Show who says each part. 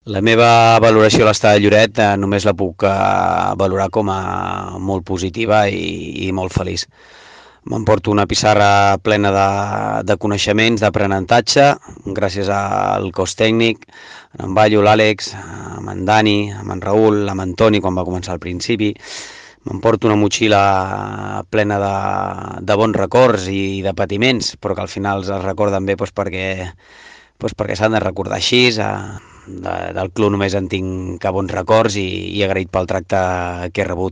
Speaker 1: La meva valoració a l'Estadi de Lloret només la puc valorar com a molt positiva i molt feliç. M'emporto una pissarra plena de coneixements, d'aprenentatge, gràcies al cos tècnic, en Ballo, l'Àlex, amb en Dani, amb en Raül, amb en Toni, quan va començar al principi. M'emporto una motxilla plena de bons records i de patiments, però que al final es recorden bé perquè s'han de recordar així. Del club només en tinc que bons records i agraït pel tracte que he rebut.